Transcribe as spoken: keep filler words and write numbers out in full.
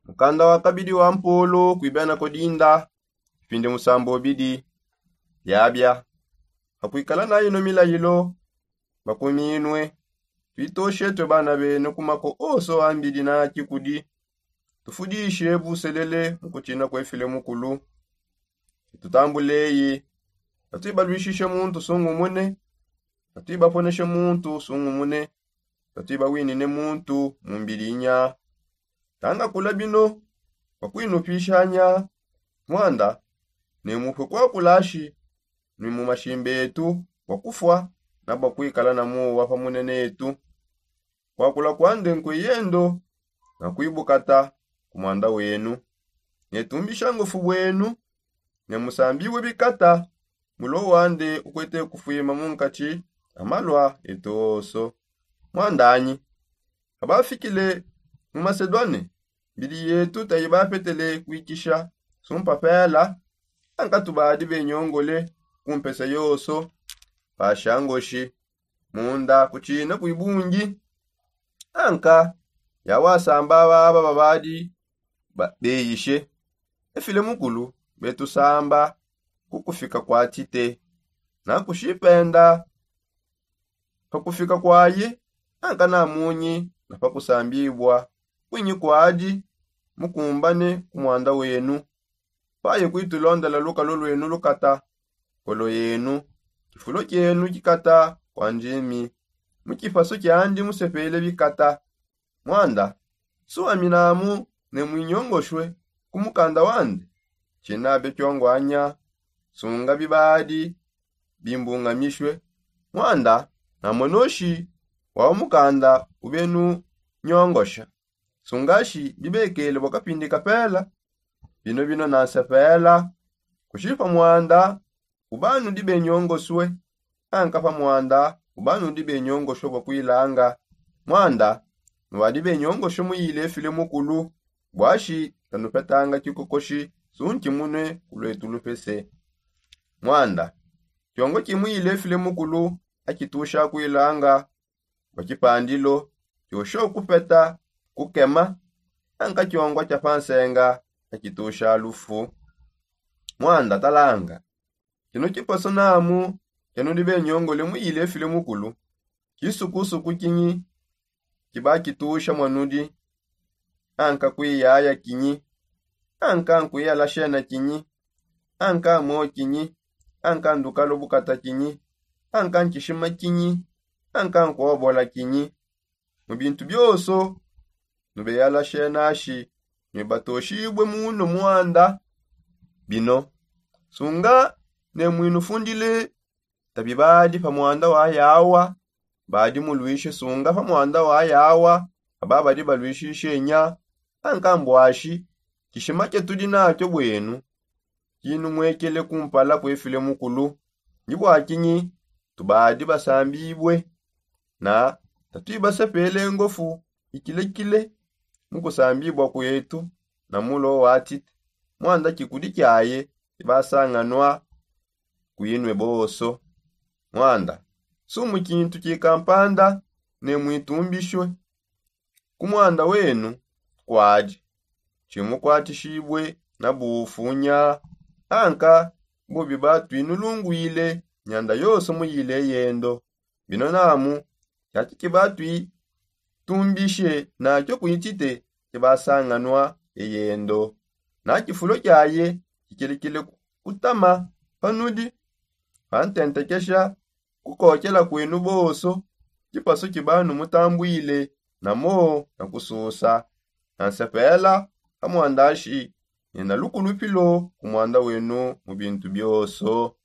Mukanda wa kabidi wa mpolo kuibena kodinda, ipindi musambo bidi. Yabia, hakuikala na ino milayilo, bakuminue. Tuitoshe tue bana bene ku mako oso ambidi na kikudi. Tufudishe buselele mu kutsina kue file mukulu. Tutambuleyi, tatuibaluishishe muntu sungumune. Tatuibaponeshe muntu sungumune. Tatuibawinine muntu mu mbidinya. Tanga kula bino, bakuinupishanya. Mwanda, ne mupue kwakulashi, ni mu mashimba etu bua kufua, na bua kuikala na muwa pa munene etu. Kwakula kwande nkue yendo, na kuibukata ku mwanda wenu. Ne tumbisha ngofu bwenu, ne musambibue bikata. Mulo wande ukuete kufuima mu nkatshi a malua etu oso. Mwandanyi, abafikile mu masedwane, mbidi yetu taibapetele kuikisha sumpa pela. Anka tubadi benyongole ku mpesa yoso, pasha ngoshi munda kutshina kuibungi. Anka yawasamba aba babadi beyishe efile mukulu, betusamba ku kufika kwa tite na kushipenda. Pa kufika kwaye, anka namunyi na pa kusambibwa kwinyi kwadi. Mukumbane ku mwanda wenu, paye kuitulondela lukalo lwenu lukata, kolo yenu, kifulo kienu kikata kwa njimi. Mu kipasu kiandi musepele bikata. Mwanda, suaminamu ne muinyongoshue ku mukanda wande. Tshinabe kiongwanya, sunga bibadi bimbungamishue. Mwanda, namonoshi wau mukanda ubenu nyongosha. Sungashi bibekele bua kapindi kapela. Bino bino nansepela, kushi pa mwanda ubanudi benyongosue, anka pa mwanda ubanudi benyongosue bua kuilanga. Mwanda, nuadi benyongosue muyile file mukulu, buashi tanupetanga kikokoshi sunki munue ku luetu lupese. Mwanda, kiongo kimuyile file mukulu, akitusha kuilanga bua kipandilo, kiosho kupeta kukema, anka kiongwa kia pa nsenga, akitusha lufu. Mwanda talanga, kino kiposo namu kianudi benyongole muyile file mukulu, kisukusuku kinyi kibakitusha muanudi, anka kuiyaya kinyi, anka nkuiyala shena kinyi, anka mo kinyi, anka ndukalo bukata kinyi, anka nkishima kinyi, anka nkuobola kinyi. Mu bintu bioso nubeyala shenashi, nuibatoshibue muno mwanda. Bino, sunga ne muinufundile tabi badi pa mwanda wa yawa badi muluishe, sunga pa mwanda wa yawa aba badi baluishishe nya, anka mbuashi kishima kiatudi nakio bwenu kinumuekele kumpala kue file mukulu. Ndi bua kinyi tubadi basambibue na tatuibasepele ngofu ikilekile mu kusambibua kuetu na mulo wa tite, mwanda kikudi kiaye kibasanganua kuinue boso. Mwanda, sumu kintu kikampanda ne muitumbishue ku mwanda wenu kuadi, tshimukuatishibue na bufunya, anka bubi batuinulunguile nyanda yonso muyile yendo. Bino namu, kiaki kibatuitumbishe nakio kuitite kibasanganua eyendo, na kifulo kiaye kikilekile kutama panudi, pantentekesha kukokela kuenu bonso, kipasu kiba numutambuile na mo na kususa. Na nsepela ha muandashi, ne na lukulupilo ku muanda wenu mu bintu bionso.